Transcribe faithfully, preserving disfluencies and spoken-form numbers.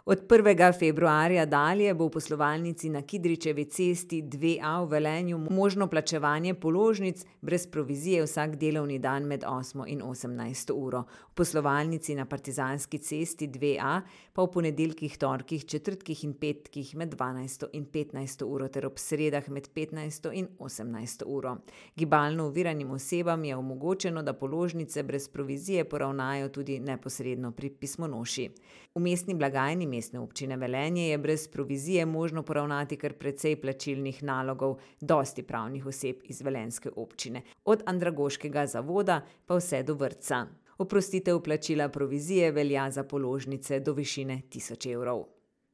Od prvega februarja dalje bo v poslovalnici na Kidričevi cesti dve A v Velenju možno plačevanje položnic brez provizije vsak delovni dan med osmo in osemnajsto uro. V poslovalnici na Partizanski cesti dve A pa v ponedeljkih, torkih, četrtkih in petkih med dvanajsto in petnajsto uro ter ob sredah med petnajsto in osemnajsto uro. Gibalno oviranim osebam je omogočeno, da položnice brez provizije poravnajo tudi neposredno pri pismonoši. V mestni blagajni Mestne občine Velenje je brez provizije možno poravnati kar precej plačilnih nalogov dosti pravnih oseb iz velenjske občine, od andragoškega zavoda pa vse do vrtca. Oprostitev plačila provizije velja za položnice do višine tisoč evrov.